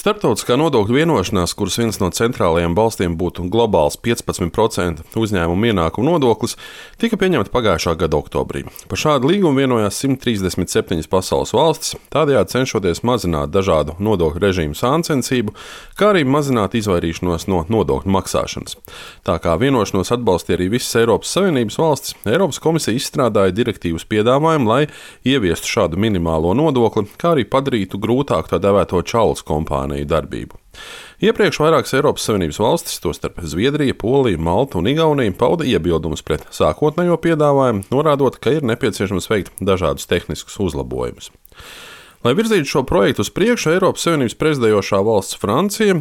Starptautiskā nodokļu vienošanās, kuras viens no centrālajiem balstiem būtu globāls 15% uzņēmumu ienākumu nodoklis, tika pieņemta pagājušā gada oktobrī. Par šādu līgumu vienojās 137 pasaules valstis, tādējādi cenšoties mazināt dažādu nodokļu režīmu sāncensību, kā arī mazināt izvairīšanos no nodokļu maksāšanas. Tā kā vienošanos atbalstīja arī visas Eiropas Savienības valstis, Eiropas komisija izstrādāja direktīvas piedāvājumu, lai ieviestu šādu minimālo nodokli, kā arī padarītu grūtāk tā dēvēto čaulas kompāniju darbību. Iepriekš vairākas Eiropas Savienības valstis, tostarp Zviedrija, Polija, Malta un Igaunija, pauda iebildumus pret sākotnējo piedāvājumu, norādot, ka ir nepieciešams veikt dažādus tehniskus uzlabojumus. Lai virzītu šo projektu uz priekšu, Eiropas Savienības prezidējošā valsts Francija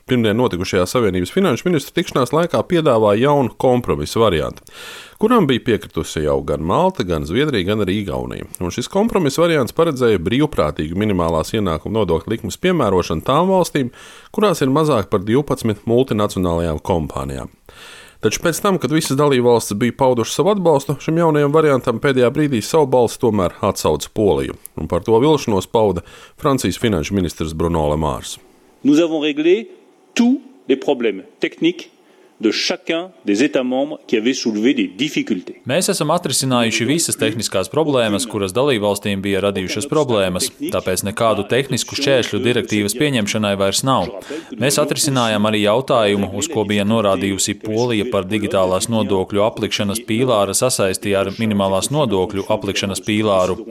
pirmdien notikušajā Savienības finanšu ministru tikšanās laikā piedāvāja jaunu kompromisu variantu, kuram bija piekritusi jau gan Malta, gan Zviedrija, gan arī Igaunija. Un šis kompromisa variants paredzēja brīvprātīgu minimālās ienākuma nodokļa likmes piemērošanu tām valstīm, kurās ir mazāk par 12 multinacionālajām kompānijām. Taču pēc tam, kad visas dalībvalstis bija paudušas savu atbalstu šim jaunajam variantam, pēdējā brīdī savu balsi tomēr atsauca Poliju. Un par to vilšanos pauda Francijas finanšu ministrs Bruno Le Maire. Nous avons réglé tous les problèmes techniques de chacun des États membres qui avaient soulevé des difficultés. Mēs esam atrisinājuši visas tehniskās problēmas, kuras dalībvalstīm bija radījušas problēmas, tāpēc nekādu tehnisku šķēršļu direktīvas pieņemšanai vairs nav. Mēs atrisinājām arī jautājumu, uz ko bija norādījusi Polija par digitālās nodokļu aplikšanas pīlāra sasaisti ar minimālās nodokļu aplikšanas pīlāru.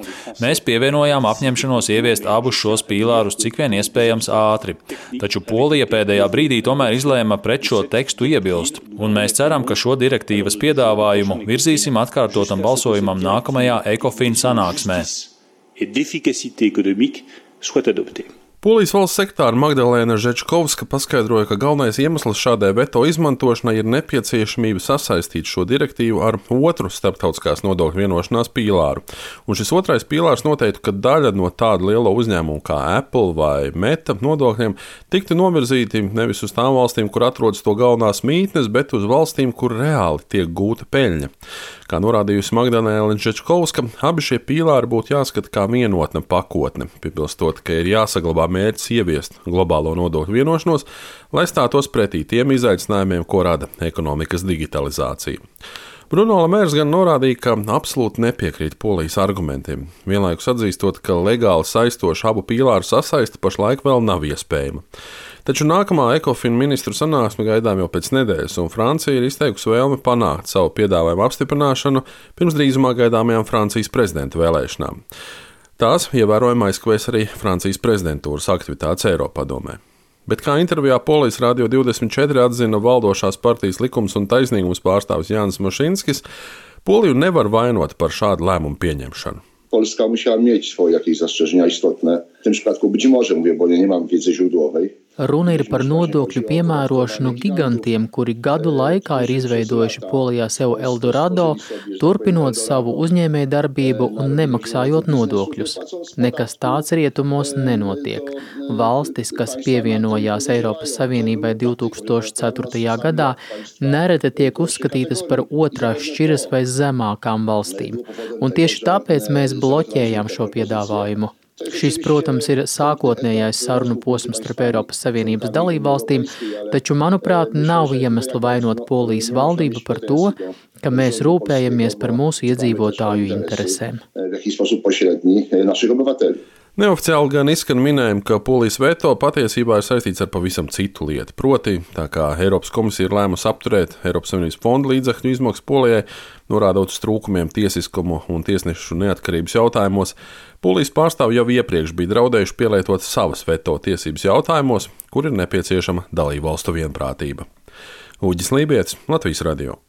Mēs pievienojām apņemšanos ieviest abus šos pīlārus cik vien iespējams ātri, taču Polija pēdējā brīdī tomēr izlēma pret šo tekstu iebilst. Un mēs ceram, ka šo direktīvas piedāvājumu virzīsim atkārtotam balsojumam nākamajā ECOFIN sanāksmē. Polijas valsts sekretāre Magdalēna Žečkovska paskaidroja, ka galvenais iemesls šādai veto izmantošanai ir nepieciešamība sasaistīt šo direktīvu ar otru starptautiskās nodokļu vienošanās pīlāru. Un šis otrais pīlārs noteiktu, ka daļa no tāda liela uzņēmuma kā Apple vai Meta nodokļiem tiktu novirzīti nevis uz tām valstīm, kur atrodas to galvenās mītnes, bet uz valstīm, kur reāli tiek gūta peļņa. Kā norādījusi Magdalēna Žečkovska, abi šie pīlāri būtu jāskata kā vienotna pakotne, piebilstot, ka ir jāsaglabā mērķis ieviest globālo nodokļu vienošanos, lai stātos pretī tiem izaicinājumiem, ko rada ekonomikas digitalizācija. Bruno Le Maire gan norādīja, ka absolūti nepiekrīt Polijas argumentiem, vienlaikus atzīstot, ka legāli saistoša abu pīlāru sasaiste pašlaik vēl nav iespējama. Taču nākamā ECOFIN ministru sanāksme gaidām jau pēc nedēļas, un Francija ir izteikusi vēlmi panākt savu piedāvājumu apstiprināšanu pirms drīzumā gaidāmajām Francijas prezidenta vēlēšanām. Tās ievērojami aizkavēs arī Francijas prezidentūras aktivitātes Eiropadomē. Bet kā intervijā Polijas Radio 24 atzina valdošās partijas Likums un taisnīgums pārstāvis Jānis Mošinskis, Poliju nevar vainot par šādu lēmumu pieņemšanu. Polska musiała mieć swoje jakieś zastrzeżenia istotne. W tym przypadku być może, mówię, bo nie mam wiedzy źródłowej. Runa ir par nodokļu piemērošanu gigantiem, kuri gadu laikā ir izveidojuši Polijā sev Eldorado, turpinot savu uzņēmēju darbību un nemaksājot nodokļus. Nekas tāds rietumos nenotiek. Valstis, kas pievienojās Eiropas Savienībai 2004. gadā, nereti tiek uzskatītas par otrās šķiras vai zemākām valstīm. Un tieši tāpēc mēs bloķējām šo piedāvājumu. Šis, protams, ir sākotnējais sarunu posms starp Eiropas Savienības dalībvalstīm, taču, manuprāt, nav iemesla vainot Polijas valdību par to, ka mēs rūpējamies par mūsu iedzīvotāju interesēm. Neoficiāli gan izskan minējumi, ka Polijas veto patiesībā ir saistīts ar pavisam citu lietu. Proti, tā kā Eiropas komisija ir lēmusi apturēt Eiropas Savienības fonda līdzekļu izmaksas Polijai, norādot uz trūkumiem tiesiskumu un tiesnešu neatkarības jautājumos, Polijas pārstāvji jau iepriekš bija draudējuši pielietot savas veto tiesības jautājumos, kur ir nepieciešama dalībvalstu vienprātība. Uģis Lībietis, Latvijas radio.